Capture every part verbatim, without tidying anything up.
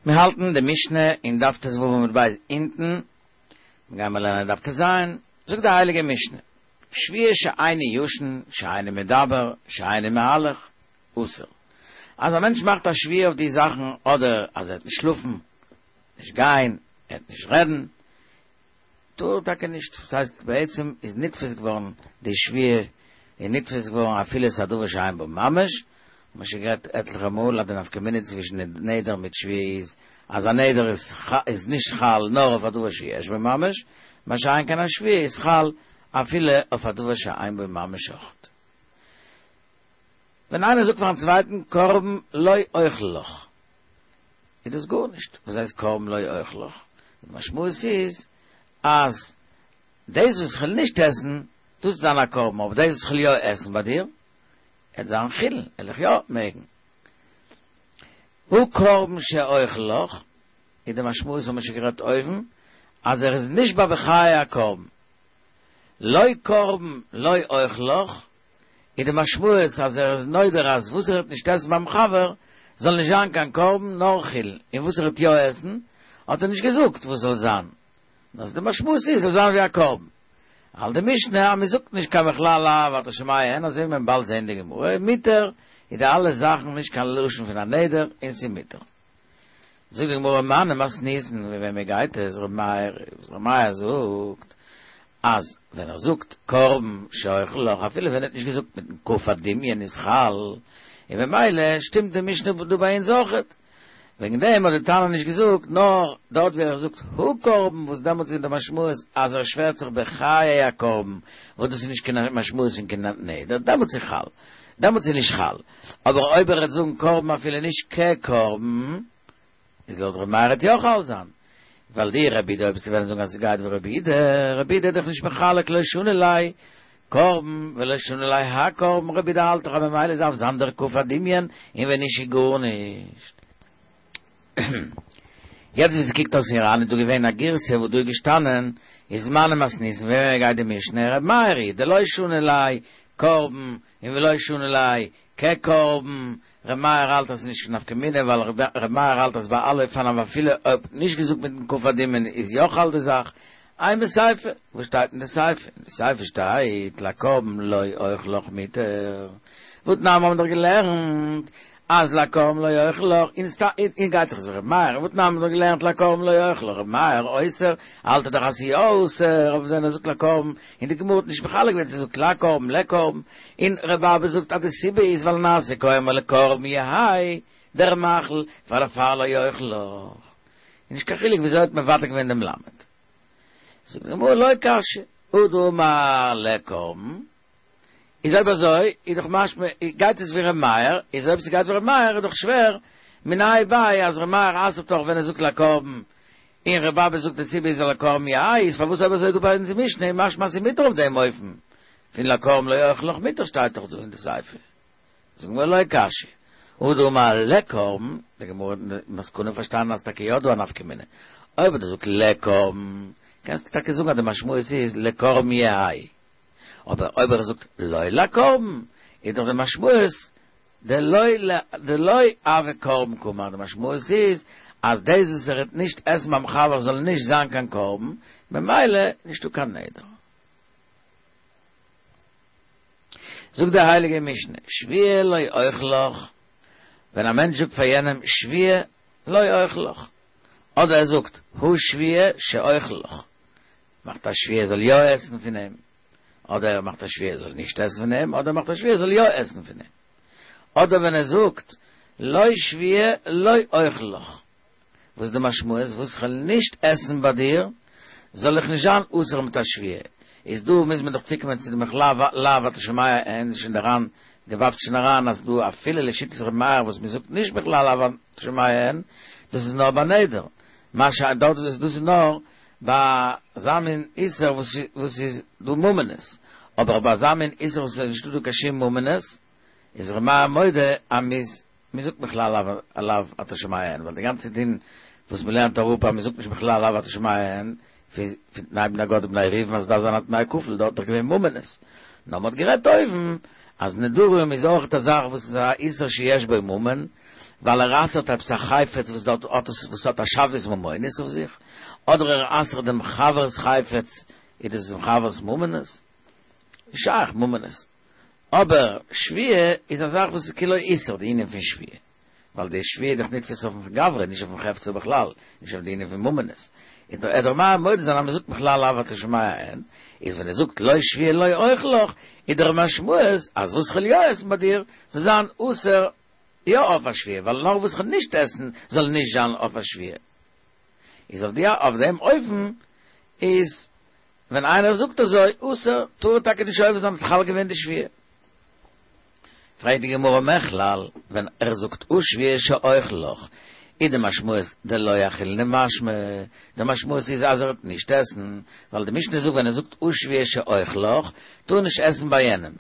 מיר האלטן די משנה אין דף ט"ו עמוד ב' אונטן, מיר גייען מיר לערנען דף ט"ז, זאגט די הייליגע משנה, שבועה שאיני ישן, שאיני מדבר, שאיני מהלך, אסור. אז א מענטש מאכט א שבועה אויף די זאכן, אדער אז ער וועט נישט שלאפן, נישט גיין, ער וועט נישט רעדן, טאר ער טאקע נישט, דאס הייסט בעצם איז נתפס געווארן די שבועה איז נתפס געווארן אפילו עס איז א דבר שאין בו ממש, מ'האט שוין גערעדט עטליכע מאל אז די נפקא מינה צווישן נדר מיט שבועה איז אז א נדר איז איז נישט חל נאר אויף א דבר שיש בו ממש, מה שאין כן א שבועה איז חל אפילו אויף א דבר שאין בו ממש אויכעט. ווען איינער זאגט פארן צווייטן קרבן לא אוכל לך, איז דאס גארנישט. וואס הייסט קרבן לא אוכל לך? די משמעות איז אז דאס וואס איך וועל נישט עסן, דאס וועט זיין א קרבן, אבער דאס וואס איך וועל יא עסן ביי דיר, וועט זיין חולין, וועל איך יא מעגן. הא קרבן שאוכל לך, איז די משמעות האבן מיר שוין גערעדט אויבן, אז ער איז נשבע בחיי הקרבן. לא קרבן לא אוכל לך, איז די משמעות אז ער איז נודר אז וואס ער וועט נישט עסן ביים חבר זאל נישט זיין קיין קרבן נאר חולין, און וואס ער וועט יא עסן האט ער נישט געזאגט וואס זאל זיין, נאר די משמעות איז זאל זיין ווי א קרבן. האלט די משנה אז מען זאגט נישט קיין מכלל לאו אתה שומע הן אזוי ווי מען באלד זעהן די גמרא מותר איז די אלע זאכן נישט קיין לשון פון א נדר און ס'איז מותר. זאגט די גמרא מני מתניתין ווי וועמען גייט עס ר' מאיר וואס ר' מאיר זאגט אז ווען ער זאגט קרבן שאוכל לך אפילו ווען ער האט נישט געזאגט מיטן כף הדמיון איז חל און במילא שטימט די משנה דא ביי אונז אויכעט וועגן דעם האט די תנא נישט געזאגט נאר דארט ווי ער זאגט הוא קרבן וואס דעמאלטס איז די משמעות אז ער שווערט זיך בחיי הקרבן וואס דאס איז נישט קיין משמעות פון קיין נדר דעמאלטס איז חל דעמאלטס איז נישט חל אבער אויב ער וועט זאגן קרבן אפילו נישט כקרבן איז לויט ר' מאיר וועט יא חל זיין ווייל דאי רבי יהודה אויב וועסטו וועלן זאגן אז עס גייט ווי רבי יהודה רבי יהודה איז דאך נישט מחלק לא שני ליה קרבן ולא שני ליה הקרבן רבי יהודה האלט דאך אז ממילא דארף זיין דער כף הדמיון און ווען נישט איז גארנישט. יעצט ווי ס'קוקט אויס אין ר"ן איז דא געווען א גירסא וואס דא איז געשטאנען איז מני מתניתין ווי וועמען גייט די משנה ר' מאיר היא דלא שני ליה קרבן און ולא שני ליה כקרבן ר' מאיר האלט אז ס'איז נישט קיין נפקא מינה ווייל ר' מאיר האלט אז ביי אלע אופנים אפילו אויב נישט געזאגט מיטן כף הדמיון איז יא חל די זאך אימא סיפא, וואס שטייט אין די סיפא? אין די סיפא שטייט לקרבן לא אוכל לך מותר, והתנן האבן דאך געלערנט אז לקרבן לא אוכל לך, און סתם און גייט דאך אזוי ר' מאיר, והתנן האבן דאך געלערנט לקרבן לא אוכל לך, ר' מאיר אוסר, האלט ער דאך אז ס'איז יא אסור, אויף ווען ער זאגט לקרבן, און די גמרא האט נישט מחלק געווען צו זאגט לקרבן לקרבן, און ר' אבא זאגט אז די סיבה איז ווייל נעשה כאומר לקרבן יהא דער מאכל פאר דערפאר לא אוכל לך, איז נישט קיין חילוק וויאזוי האט מבטל געווען דעם למד. זאגט די גמרא לא קשיא, הא דאמר לקרבן, איז אויב אזוי איז דאך משמע גייט עס ווי ר' מאיר, איז אויב ס'גייט ווי ר' מאיר איז דאך שווער מיניה וביה אז ר' מאיר אסר'ט דאך ווען ער זאגט לקרבן, און ר' אבא זאגט די סיבה איז לקרבן יהא, איז פארוואס אויב אזוי דא ביי אונז אין משנה איז משמע אז ס'איז מותר אויף דעם אופן פון לקרבן לא אוכל לך מותר שטייט דאך דא אין די סיפא. זאגט די גמרא לא קשיא, הא דאמר לקרבן, די גמרא האט אין מסקנא פארשטאנען אז טאקע יא דא א נפקא מינה, אויב דו זאגסט לקרבן, קענסטו טאקע זאגן אז די משמעות איז לקרבן יהא, אבער אויב ער זאגט לא לקרבן, איז דאך די משמעות דלא דלא הוי קרבן קאמר, די משמעות איז אז דאס וואס ער וועט נישט עסן ביים חבר זאל נישט זיין קיין קרבן, ממילא נישטא קיין נדר. זאגט די הייליגע משנה, שבועה לא אוכל לך, ווען א מענטש זאגט פאר יענעם שבועה לא אוכל לך, אדער ער זאגט הוא שבועה שאוכל לך, מאכט א שבועה ער זאל יא עסן פון אים, אדער ער מאכט א שבועה ער זאל נישט עסן פון אים, אדער ער מאכט א שבועה ער זאל יא עסן פון אים, אדער ווען ער זאגט לא שבועה לא אוכל לך, וואס איז די משמעות? וואס כ'וועל נישט עסן ביי דיר, זאל איך נישט זיין אסור מיט א שבועה. איז דא מוז מען דאך צוקומען צו די מכלל לאו אתה שומע הן שוין דער ר"ן ווארפט שוין אריין אז דא אפילו לשיטת ר' מאיר וואס מ'זאגט נישט מכלל לאו אתה שומע הן, דאס איז נאר ביי נדר, מה שאין דארט איז דאס איז נאר ביי אזא מין איסור וואס איז דא ממונות, אבער ביי אזא מין איסור וואס איז נישטא דא קיין שום ממונות, איז ר' מאיר מודה אז מ'איז מען זאגט מכלל לאו אתה שומע הן, ווייל די גאנצע דין וואס מען לערנט אראפ אז מען זאגט נישט מכלל לאו אתה שומע הן, פון תנאי בני גד ובני ראובן אז עס דארף זיין א תנאי כפול, דארט איז דאך געווען ממונות. נאר מען האט גערעדט אויבן אז נדרים איז אויך א זאך וואס איז א איסור שיש בו ממון, ווייל ער אסר'ט עפעס א חפץ וואס דארט האט עס וואס האט א שוויות ממונות אויף זיך, אדער ער אסר'ט דעם חבר'ס חפץ, איז דאס דעם חבר'ס ממונות? שייך ממונות. אבער שבועה איז א זאך וואס איז כאילו איסור, די ענין פון שבועה. ווייל די שבועה איז דאך נתפס אויפן גברא, נישט אויפן חפצא בכלל, נישט אויף די ענין פון ממונות. איז דער ער דער מודה זיין אז מען זאגט בכלל לאו אתה שומע אין, איז ווען ער זאגט לא שבועה לא אוכל לך, איז דער משמעות אז וואס כ'וועל יא עסן ביי דיר, זאל זיין אסור יא אויף א שבועה, ווייל נאר וואס כ'וועל נישט עסן זאל נישט זיין אויף א שבועה. איז אויף די אויף דעם אופן איז ווען איינער זאגט אזוי אסור, טאר ער טאקע נישט עובר זיין האט חל געווען די שבועה. פרעגט די גמרא מכלל, ווען ער זאגט הא שבועה שאוכל לך, איז די משמעות דלא אכילנא משמע, די משמעות איז אז ער וועט נישט עסן, ווייל די משנה זאגט ווען ער זאגט הא שבועה שאוכל לך, טאר ער נישט עסן ביי יענעם.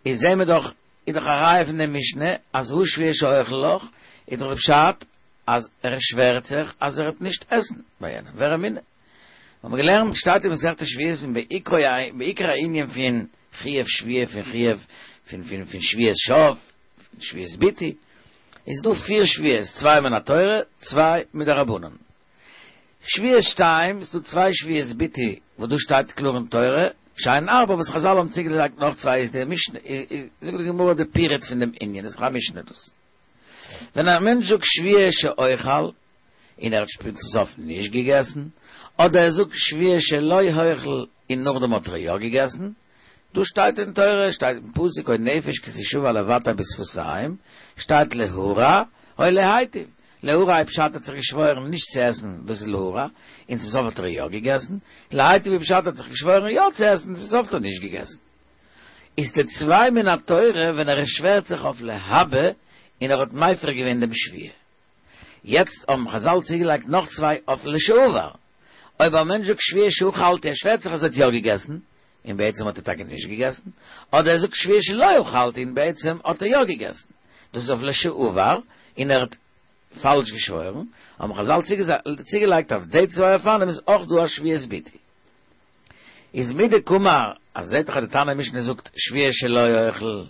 איז זעהן מיר דאך, איז דאך א ראיה פון די משנה אז הא שבועה שאוכל לך, איז דאך די פשט אז ער שווערט זיך אז ער וועט נישט עסן ביי יענעם, ורמינהי. האבן מיר געלערנט שטייט אין מסכת שבועות אין בעיקר הענין פון חיוב שבועה פון חיוב פון פון פון שבועת שוא פון שבועת ביטוי איז דא פיר שבועות צוויי מן התורה צוויי מדרבנן שבועת שתיים איז דא צוויי שבועות ביטוי וואס דא שטייט קלאר אין תורה שהן ארבע וואס חזל האבן צוגעלייגט נאך צוויי איז די משנה זאגט די גמרא די פירוט פון דעם ענין איז דאך א משנה דאס ווען א מענטש זאגט שבועה שאוכל און ער האט שפעטער צום סוף נישט געגעסן, אדער ער זאגט שבועה שלא אוכל און נאכדעם האט ער יא געגעסן, דא שטייט אין תורה, שטייט אין פסוק או נפש כי תשבע לבטא בשפתים, שטייט להרע או להיטיב, להרע איז פשט ער האט זיך געשוואוירן נישט צו עסן, דאס איז להרע, און צום סוף האט ער יא געגעסן, להיטיב איז פשט ער האט זיך געשוואוירן יא צו עסן, צום סוף האט ער נישט געגעסן. איז די צוויי מן התורה ווען ער שווערט זיך אויף להבא און ער האט מפר געווען דעם שבועה. יעצט האבן חזל צוגעלייגט נאך צוויי אויף לשעבר. אויב א מענטש זאגט שבועה שאכלתי, ער שווערט זיך אז ער האט יא געגעסן, און בעצם האט ער טאקע נישט געגעסן, אדער ער זאגט שבועה שלא אכלתי און בעצם האט ער יא געגעסן, דאס איז אויף לשעבר, און ער האט פאלש געשוואוירן, האבן חזל צוגעלייגט אויף די צוויי אופנים איז אויך דא א שבועת ביטוי. איז מדקאמר, אז זעט דאך אז די תנא משנה זאגט שבועה שלא אוכל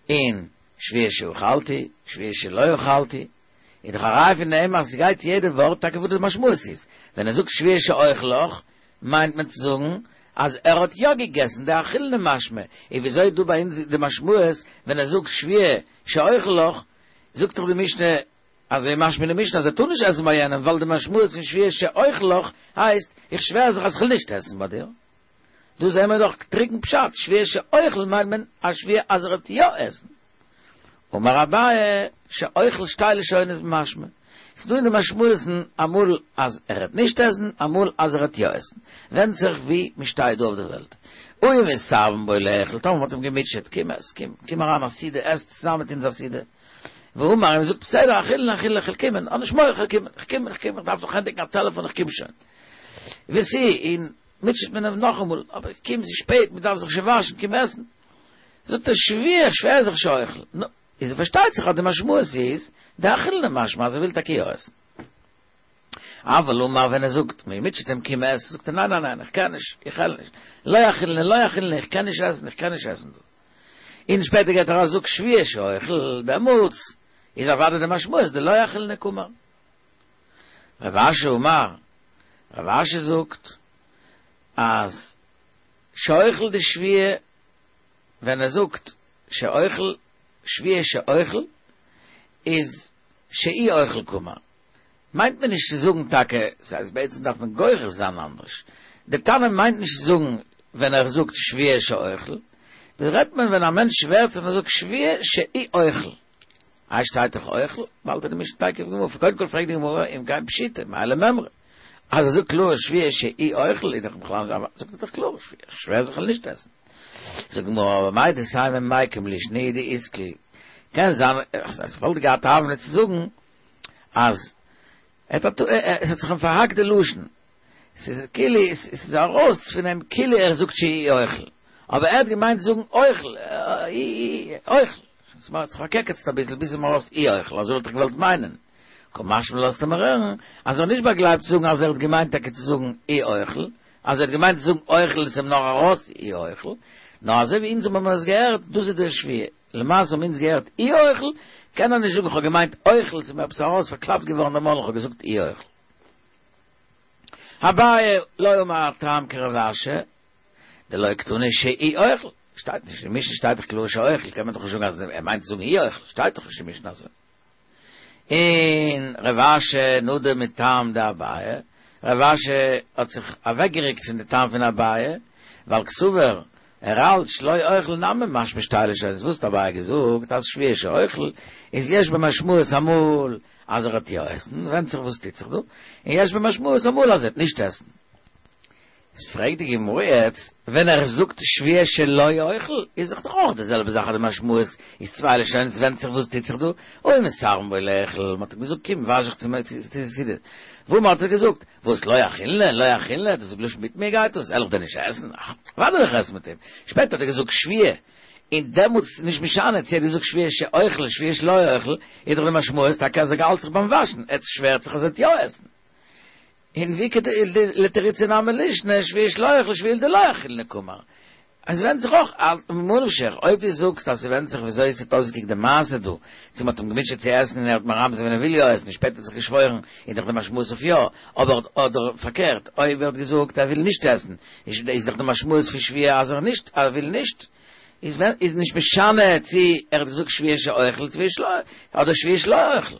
און שבועה שאכלתי, שבועה שלא אכלתי, איז דאך א ראיה פון דעם אז ס'גייט יעדע ווארט טאקע וואס די משמעות איז. ווען ער זאגט שבועה שאוכל לך, מיינט מען צו זאגן אז ער האט יא געגעסן, דאכילנא משמע. און וויאזוי איז דא ביי אונז די משמעות ווען ער זאגט שבועה שאוכל לך, זאגט דאך די משנה, אזוי משמע אין די משנה אז ער טאר נישט עסן ביי יענעם ווייל די משמעות פון שבועה שאוכל לך הייסט איך שווער זיך אז כ'וועל נישט עסן ביי דיר. דא זעהן מיר דאך טרוקן פשט, שבועה שאוכל מיינט מען א שבועה אז ער וועט יא עסן. אמר אביי שאוכל שתי לשונות משמע. ס'איז דא אין די משמעות'ן אמאל אז ער וועט נישט עסן אמאל אז ער וועט יא עסן. ווענדט זיך ווי מ'שטייט דא אויף די וועלט. הא אם מתאוין בו לאכול, טאמער מ'האט אים געמוטשעט, קום עס, קום, קום אריין א סעודה, עס צוזאמען מיט אונז א סעודה. ואמר, און מ'זאגט בסדר, אכילנא אכילנא, איך וועל קומען, האב נישט מורא, איך וועל קומען, איך קום, איך קום, איך דארף נאך ענדיגן א טעלעפאן, איך קום שוין. ותו, און מוטשעט מען אים נאכאמאל, אבער קום, ס'איז שפעט, מ'דארף זיך שוין וואשן, קום עסן. זאגט ער שבועה, איך שווער זיך שאוכל. נו, איז פארשטייט זיך אז די משמעות איז, דאכילנא משמע אז ער וויל טאקע יא עסן. אבל אמר ווען ער זאגט, מען מוטשעט אים קום עס, זאגט ער ניין ניין ניין איך קען נישט, איך העל נישט, לא אכילנא לא אכילנא איך קען נישט עסן איך קען נישט עסן דא. און שפעטער גייט ער ארויס זאגט שבועה שאוכל, דעמאלטס איז אוודאי די משמעות דלא אכילנא קאמר. רב אשי אמר, רב אשי זאגט אז שאוכל די שבועה ווען ער זאגט שאוכל שבועה שאוכל איז שאי אוכל קאמר, מיינט מען נישט צו זאגן טאקע, ס'הייסט בעצם דארף מען גורס זיין אנדערש, די תנא מיינט נישט צו זאגן ווען ער זאגט שבועה שאוכל, דא רעדט מען ווען א מענטש שווערט זיך און ער זאגט שבועה שאי אוכל, איי שטייט דאך אוכל, באלד איז די משנה תיכף גמור, קודם כל פרעגט די גמרא אם כן פשיטא, מאי למימרא, אז ער זאגט קלאר שבועה שאי אוכל איז דאך בכלל נישט, זאגט ער דאך קלאר איך שווער זיך כ'וועל נישט עסן. זאגט די גמרא אבער מהו דתימא מיקם לישנא הוא דאתקיל, קען זיין אז ער וואלט געהאט א הוה אמינא צו זאגן אז ער האט עס האט זיך אים פארהאקט די לשון, ס'איז כאילו ס'איז ארויס פון אים כאילו ער זאגט שאי אוכל, אבער ער האט געמיינט זאגן אוכל, אוכל, ס'האט זיך פארקעקעצט אביסל ביז ס'איז אים ארויס אי אוכל, אזוי וואלט איך געוואלט מיינען. קא משמע לן לאזט ער מיר הערן אז ער האט נישט באגלייבט צו זאגן אז ער האט געמיינט טאקע צו זאגן אי אוכל, אז ער האט געמיינט צו זאגן אוכל איז אים נאר ארויס אי אוכל, נאר אזוי ווי אונז האבן עס געהערט, דאס איז די שבועה. למעשה האבן אונז געהערט אי אוכל, קען ער נישט זאגן איך האב געמיינט אוכל, ס'איז מיר עפעס ארויס פארקלאפט געווארן דער מויל איך האב געזאגט אי אוכל. אביי לא אמר הטעם כרב אשי, דלא קתני שאי אוכל, שטייט נישט אין משנה שטייט דאך קלאר שאוכל, קען מען דאך נישט זאגן אז ער מיינט צו זאגן אי אוכל, שטייט דאך נישט אין משנה אזוי. און רב אשי נדר מטעם דאביי, רב אשי האט זיך אוועקגעריקט פון די טעם פון אביי, ווייל קסבר ער האלט שלא אוכל נמי משמע שתי לשונות, וואס האט אביי געזאגט אז שבועה שאוכל איז יש במשמעות אמאל אז ער וועט יא עסן, ווענדט זיך וואס טוט זיך דא, און יש במשמעות אמאל אז ער וועט נישט עסן. איז פרעגט די גמרא יעצט, ווען ער זאגט שבועה שלא אוכל, איז דאך דאך אויך די זעלבע זאך אז די משמעות איז צוויי לשונות, ווענדט זיך וואס טוט זיך דא, הא מתערבין בו לאכול, מען האט אים געזאגט קום וואש זיך צום סעודה, והאמר האט ער געזאגט, וואס לא אכילנא, לא אכילנא, דאס איז בלויז מיט מיר גייט דאס, על איך דען נישט עסן? אך, אוודאי וועל איך עסן מיט אים. שפעטער האט ער געזאגט שבועה, און דעמאלטס איז נישט משנה צו ער האט געזאגט שבועה שאוכל שבועה שלא אוכל, איז דאך די משמעות טאקע אז ער האלט זיך ביים וואשן, ער שווערט זיך אז ער וועט יא עסן. און ואיכא לתרוצי נמי לישני שבועה שלא אוכל שבועה דלא אכילנא קאמר. עס ווענדט זיך אויך, ממה נפשך, אויב דו זאגסט אז ס'ווענדט זיך וויאזוי עס האט אויסגעקוקט די מעשה דא, צו מ'האט אים געמוטשעט צו עסן און ער האט מרמז געווען ער וויל יא עסן און שפעטער האט זיך געשוואוירן איז דאך די משמעות אויף יא, אבער אדער פארקערט אויב ער האט געזאגט ער וויל נישט עסן איז דאך די משמעות פון שבועה אז ער נישט ער וויל נישט איז איז נישט משנה צו ער האט געזאגט שבועה שאוכל צו שלא אדער שבועה שלא אוכל.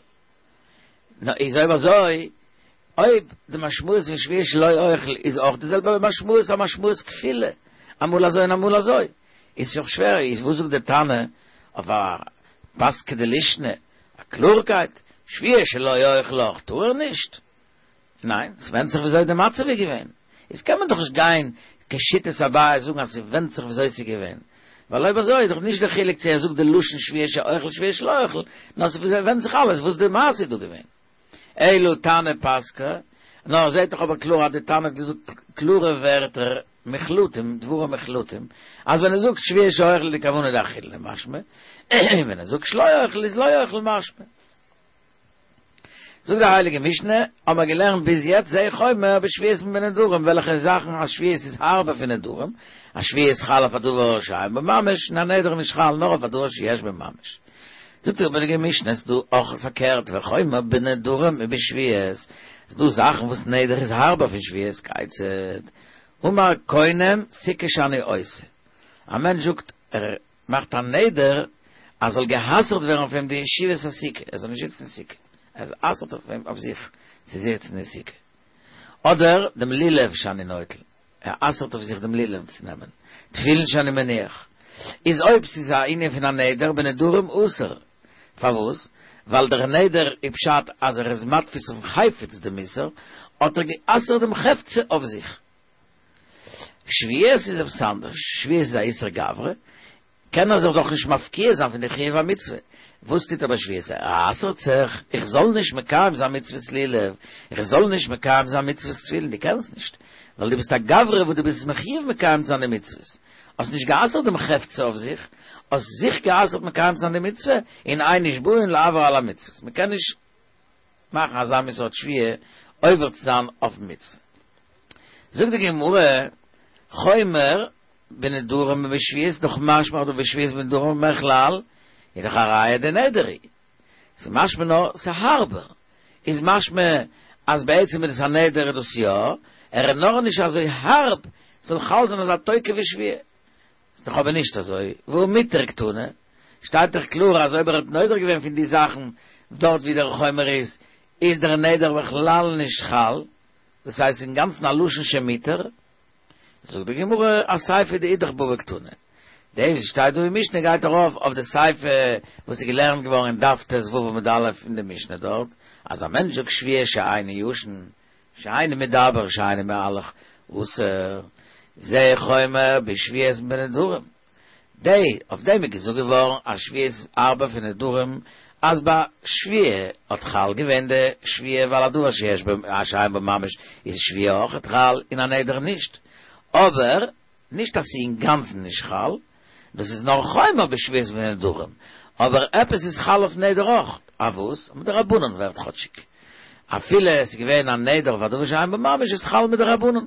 נו איז אויב אזוי אויב די משמעות פון שבועה שלא אוכל איז אויך די זעלבע משמעות א משמעות כפולה, אמאל אזוי און אמאל אזוי, איז שוין שווער, איז וואס זאגט די תנא אויף א פסקא דלישנא, א קלארקייט, שבועה שלא אוכל אויך טאר ער נישט? ניין, ס'ווענדט זיך וויאזוי די מצב איז געווען, איז קען מען דאך נישט גיין כשיטת אביי זאגן אז ס'ווענדט זיך וויאזוי ס'איז געווען, ווייל אויב אזוי איז דאך נישט די חילוק צו ער זאגט די לשון שבועה שאוכל שבועה שלא אוכל, נאר ס'ווענדט זיך אלעס וואס די מעשה איז דא געווען. אלא תנא פסקה, נאר זעהט דאך אבער קלאר אז די תנא האט געזאגט קלארע ווערטער מוחלטים, דברים מוחלטים, אז ווען ער זאגט שבועה שאוכל איז די כוונה דאכילנא משמע, און ווען ער זאגט שלא אוכל איז לא אוכל משמע. זאגט די הייליגע משנה, האבן מיר געלערנט ביז יעצט זה חומר בשבועות מבנדרים, וועלכע זאכן א שבועה איז הארבער פון נדרים, א שבועה איז חל אויף א דבר שאין בו ממש, און א נדר איז נישט חל נאר אויף א דבר שיש בו ממש. זאגט די הייליגע משנה, ס'איז דא אויך פארקערט, וחומר בנדרים מבשבועות, ס'איז דא זאכן וואס נדר איז הארבער פון שבועות, כיצד? אמר קונם סוכה שאני עושה, א מענטש זאגט ער מאכט א נדר אז זאל גע'אסר'ט ווערן אויף אים די ישיבת הסוכה, ער זאל נישט זיצן אין סוכה, ער אסר'ט אויף אים אויף זיך צו זיצן אין סוכה, אדער דעם לולב שאני נוטל, ער אסר'ט אויף זיך דעם לולב צו נעמען, תפילין שאני מניח, איז אויב ס'איז א ענין פון א נדר בנדרים אסור, פארוואס? ווייל דער נדר איז פשט אז ער איז מתפיס אויפן חפץ דעם איסור, האט ער גע'אסר'ט דעם חפצא אויף זיך. שבועות איז עפעס אנדערש, שבועות איז א איסור גברא, קען ער זיך דאך נישט מפקיע זיין פון די חיוב המצוה, וואס טוט ער ביי שבועות? ער אסר'ט זיך, איך זאל נישט מקיים זיין מצוות לולב, איך זאל נישט מקיים זיין מצוות תפילין, דו קענסט נישט, ווייל דו ביסט א גברא וואס דו ביסט מחיוב מקיים זיין די מצוות, האסט נישט גע'אסר'ט דעם חפצא אויף זיך, האסט זיך גע'אסר'ט מקיים זיין די מצוה, און אין נשבעין לעבור על המצוות, מען קען נישט מאכן אזא מין סארט שבועה עובר צו זיין אויפן מצוה. זאגט די גמרא, חומר בנדרים מבשבועות דאך משמע אדער בשבועות בנדרים מכלל איז דאך א ראיה דנדר הוא. ס'איז משמע נאר ס'איז הארבער. איז משמע אז בעצם איז דאס א נדר איז דאס יא, ער איז נאר נישט אזוי הארב ס'זאל חל זיין אזא תוקף ווי שבועה. ס'איז דאך אבער נישט אזוי, והא מותר קתני, שטייט דאך קלאר אז אויב ער האט נודר געווען פון די זאכן דארט ווי דער חומר איז, איז דער נדר בכלל נישט חל, דאס הייסט אינגאנצן א לשון שמותר. זאגט די גמרא אסיפא דאידך בבא קתני, דאס וואס שטייט דא אין משנה גייט ארויף אויף די סיפא וואס איז געלערנט געווארן אין דף ט"ו עמוד א' אין די משנה דארט, אז א מענטש זאגט שבועה שאיני ישן, שאיני מדבר, שאיני מהלך, אסור, זה חומר בשבועות מבנדרים. די, אויף דעם איז געזאגט געווארן אז שבועות איז הארבער פון נדרים, אז ביי שבועה האט חל געווען די שבועה ווייל א דבר שיש בו שאין בו ממש איז שבועה אויכעט חל און א נדר נישט, אבער נישט אז ס'איז אינגאנצן נישט חל, דאס איז נאר חומר בשבועות מבנדרים, אבער עפעס איז חל אויף נדר אויך, א וואס? מדרבנן ווערט כאטשיג אפילו עס איז געווען א נדר אויף א דבר שאין בו ממש איז חל מדרבנן.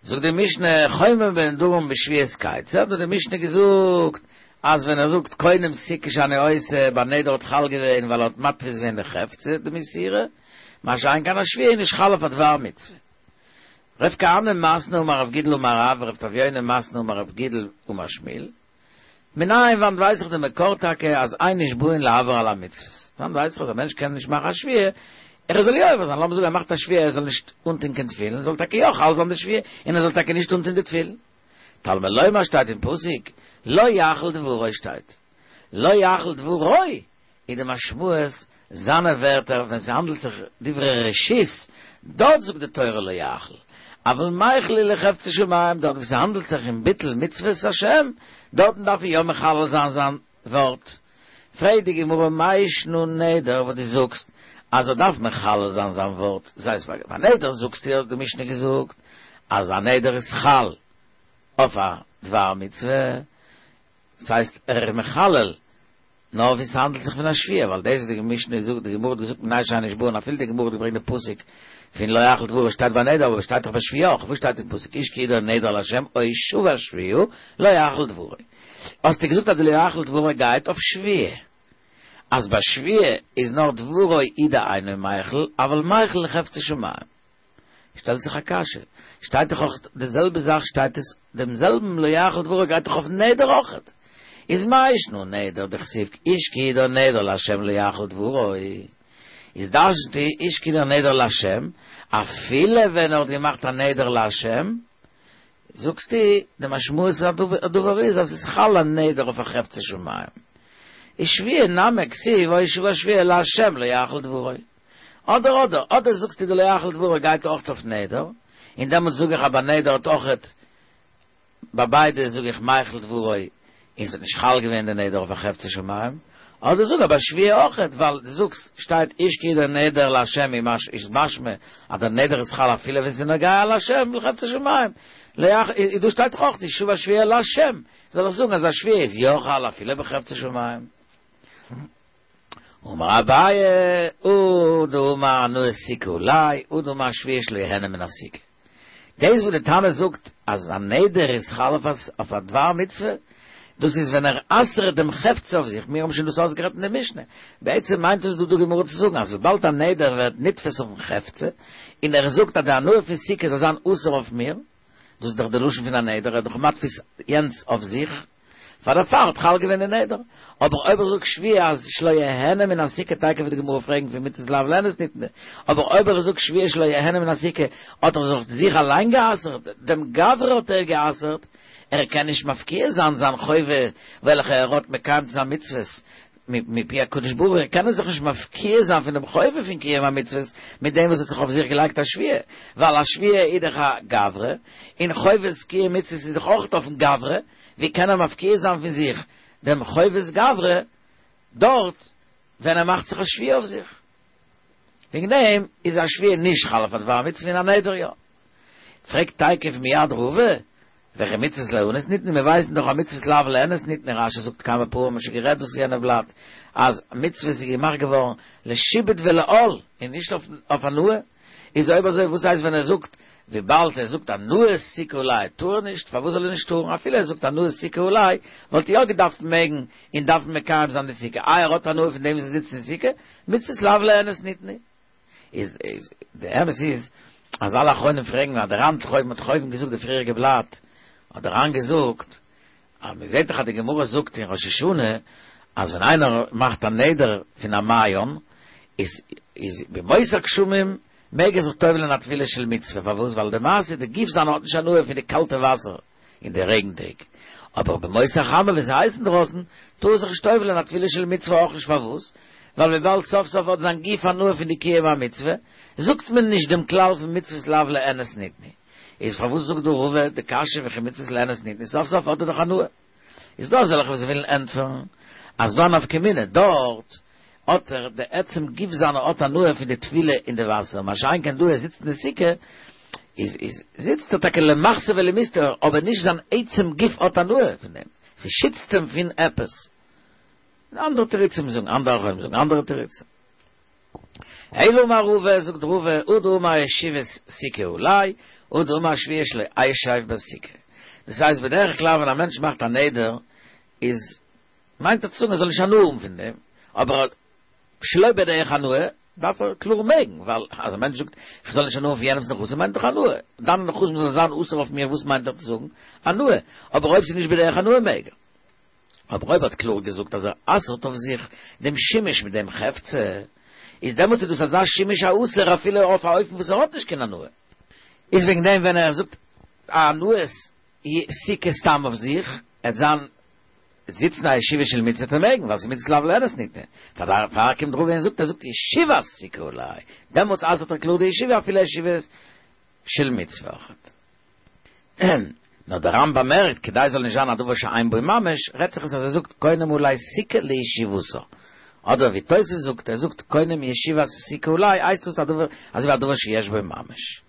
זאגט די משנה חומר בנדרים בשבועות כיצד, האט די משנה געזאגט אז ווען ער זאגט קונם סוכה שאני עושה, ביי נדר האט חל געווען, ווייל ער האט מתפיס געווען די חפצא, די מסירה, מה שאין כן א שבועה איז נישט חל אויף א דבר מצוה. רב כהנא מתני אמר רב גידל אמר רב, רב תביונא מתני אמר רב גידל אמר שמואל. מנין וואנעט ווייס איך די מקור טאקע אז אין נשבעין לעבור על המצוות? וואנעט ווייס איך אז א מענטש קען נישט מאכן א שבועה, ער זאל יא עובר זיין, לאמיר זאגן ער מאכט א שבועה ער זאל נישט אנטון קיין תפילין, זאל טאקע יא חל זיין די שבועה, און ער זאל טאקע נישט אנטון די תפילין. תלמוד לומר שטייט אין פסוק, לא יחל דברו שטייט. לא יחל דברו איז די משמעות זיינע ווערטער ווען ס'האנדלט זיך דברי רשות, דארט זאגט די תורה לא יחל, אבל מיחל להו לחפצי שמים, דארט וואו ס'האנדלט זיך אין ביטול מצוות השם, דארטן דארף מען יא מחלל זיין זיין ווארט. פרעגט די גמרא מאי שנא נדר וואס דו זאגסט אז ער דארף מחלל זיין זיין ווארט, דאס הייסט ביי נדר זאגסטו האט די משנה געזאגט אז א נדר איז חל אויף א דבר מצוה, ס'הייסט ער איז מחלל נאר ווי ס'האנדלט זיך פון א שבועה, ווייל דאס וואס די משנה זאגט, די גמרא האט געזאגט מנין שאין נשבעין, אפילו די גמרא האט געברענגט די פסוק פון לא יחל דברו שטייט ביי נדר, אבער שטייט דאך ביי שבועה אויך, וואו שטייט אין פסוק איש כי ידור נדר לה' או שבע שבועה לא יחל דברו, האסטו געזאגט אז די לא יחל דברו גייט אויף שבועה, אז ביי שבועה איז נאר דברו הוא דאינו מיחל, אבל מיחל לחפצי שמים. שטעלט זיך א קשיא, שטייט דאך אויך די זעלבע זאך שטייט עס דעם זעלבן לא יחל דברו גייט דאך אויף נדר אויכעט, איז מאי שנא נדר דכתיב איש כי ידור נדר לה' לא יחל דברו, איז דרש'נט איש כי ידור נדר לה' אפילו ווען ער האט געמאכט א נדר לה', זאגסטו די משמעות הדבר איז אז ס'איז חל א נדר אויף א חפצי שמים, איז שבועה נמי כתיב או שבע שבועה לה' לא יחל דברו. אדער אדער, אדער זאגסטו די לא יחל דברו גייט אויכט אויף נדר, און דעמאלטס זאג איך אז ביי נדר האט אויכעט, ביי ביידע זאג איך מיחל דברו און ס'האט נישט חל געווען די נדר אויף א חפצי שמים, אדער זאג אז ביי שבועה אויכעט, ווייל דו זאגסט שטייט איש כי ידור נדר לה' איז משמע אז דער נדר איז חל אפילו ווען ס'איז נוגע לה' לחפצי שמים, איז דא שטייט דאך אויכט שבע שבועה לה', זאל איך זאגן אז א שבועה איז יא חל אפילו בחפצי שמים? אמר אביי, הוא דאמר הנאת סוכה עלי, הוא דאמר שבועה שלא יהנה מן הסוכה. דאס וואס די תנא זאגט אז א נדר איז חל אויף א דבר מצוה, דאס איז ווען ער אסר'ט דעם חפצא אויף זיך, מיר האבן שוין דאס אויסגערעדט אין די משנה. בעצם מיינט דאס דא די גמרא צו זאגן אז וויבאלד א נדר ווערט נתפס אויפן חפצא, און ער זאגט אז די הנאה פון סוכה זאל זיין אסור אויף מיר, דאס איז דאך די לשון פון א נדר, ער איז דאך מתפיס יענץ אויף זיך, פאר דערפאר האט חל געווען די נדר. אבער אויב איך זאג שבועה אז שלא יהנה מן הסוכה תיכף וועט די גמרא פרעגן פון מצות לאו ליהנות ניתנו, אבער אויב איך זאג שבועה שלא יהנה מן הסוכה האט ער זיך זיך אליין גע'אסר'ט, דעם גברא האט ער גע'אסר'ט, ער קען נישט מפקיע זיין זיין חובה וועלכע ער האט מקיים צו זיין מצוות מפי הקדוש ברוך הוא, קען ער זיך נישט מפקיע זיין פון דעם חובה פון קיום המצוות מיט דעם וואס האט זיך אויף זיך געלייגט א שבועה, ווייל א שבועה איז דאך א גברא, און חובת קיום מצוות איז דאך אויך אויפן גברא, ווי קען ער מפקיע זיין פון זיך דעם חובת גברא דארט ווען ער מאכט זיך א שבועה אויף זיך? וועגן דעם איז א שבועה נישט חל אויף א דבר מצוה און א נדר יא. פרעגט תיכף מיד רבא, וכי מצוות ליהנות ניתנו, מיר ווייסן דאך אז מצוות לאו ליהנות ניתנו, רש"י זאגט כמה פעמים, מ'האט שוין גערעדט דאס יענע בלאט, אז מצוות איז געמאכט געווארן לשעבוד ולעול און נישט אויף הנאה, איז אויב אזוי וואס הייסט ווען ער זאגט וויבאלד ער זאגט הנאת סוכה עלי טאר ער נישט, פארוואס זאל ער נישט טארן, אפילו ער זאגט הנאת סוכה עלי וואלט ער יא געדארפט מעגן און דארפן מקיים זיין די סוכה, איי ער האט הנאה פון דעם וואס ער זיצט אין סוכה, מצוות לאו ליהנות ניתנו. איז איז די אמת איז אז אלע אחרונים פרעגן אז דער ר"ן האט אויבן האט אויבן געזאגט די פריעריגע בלאט האט דער ר"ן געזאגט אז מען זעט דאך אז די גמרא זאגט אין ראש השנה אז ווען איינער מאכט א נדר פון א מעיין איז איז בימות הגשמים מעג ער זיך טובל'ען א טבילה של מצוה פארוואס ווייל די מעשה די גוף זיינע האט נישט הנאה פון די קאלטע וואסער אין די רעגן טעג אבער בימות החמה ווען ס'איז הייס אינדרויסן טאר ער זיך נישט טובל'ען א טבילה של מצוה אויך נישט פארוואס ווייל וויבאלד סוף סוף האט זיין גוף הנאה פון די קיום המצוה זאגט מען נישט דעם כלל פון מצוות לאו ליהנות ניתנו איז פארוואס זאגט דא רבא די קשיא וכי מצוות ליהנות ניתנו סוף סוף האט ער דאך הנאה איז דא אזעלכע וואס ווילן ענטפערן אז דא א נפקא מינה דארט האט ער די עצם גוף זיינע האט הנאה פון די טבילה אין די וואסער מה שאין כן דא ער זיצט אין די סוכה איז איז זיצט ער טאקע למחסה ולמסתר אבער נישט זיין עצם גוף האט הנאה פון דעם ס'שיצט אים פון עפעס אנדערע תירוצים זאגן אנדערע אחרונים זאגן אנדערע תירוצים אלא אמר רבא זאגט רבא הוא דאמר ישיבת סוכה עלי הוא דאמר שבועה שלא אשב בסוכה דאס הייסט בדרך כלל ווען א מענטש מאכט א נדר איז מיינט ער צו זאגן ער זאל נישט הנאה האבן פון דעם, אבער שלא בדרך הנאה דארף ער קלאר מעגן, ווייל אז א מענטש זאגט איך זאל נישט הנאה האבן פון יענעמ'ס נכסים מיינט דאך הנאה, דיינע נכסים זאלן זיין אסור אויף מיר וואס מיינט ער צו זאגן? הנאה, אבער אויב ס'איז נישט בדרך הנאה מעג ער. אבער אויב ער האט קלאר געזאגט אז ער אסר'ט אויף זיך דעם שימוש מיט דעם חפצא, איז דעמאלט איז דאס אזא שימוש האסור אפילו אויף א אופן וואס ער האט נישט קיין הנאה. איז וועגן דעם ווען ער זאגט הנאת סוכה סתם אויף זיך, עט זיין זיצן א ישיבה של מצוה וועט ער מעגן, ווייל ס'איז מצות לאו ליהנות ניתנה. פאר דערפאר קומט רבא און זאגט, ער זאגט ישיבת סוכה עלי, דעמאלטס אסר'ט ער קלאר די ישיבה אפילו ישיבה של מצוה אויכעט. נאר דער ר"ן באמערקט, כדי ס'זאל נישט זיין א דבר שאין בו ממש, רעדט זיך עס אז ער זאגט קונם עלי סוכה לישיבתה. אדער ווי תוס' זאגט, ער זאגט קונם ישיבת סוכה עלי, הייסט דאס א דבר, אזוי ווי א דבר שיש בו ממש.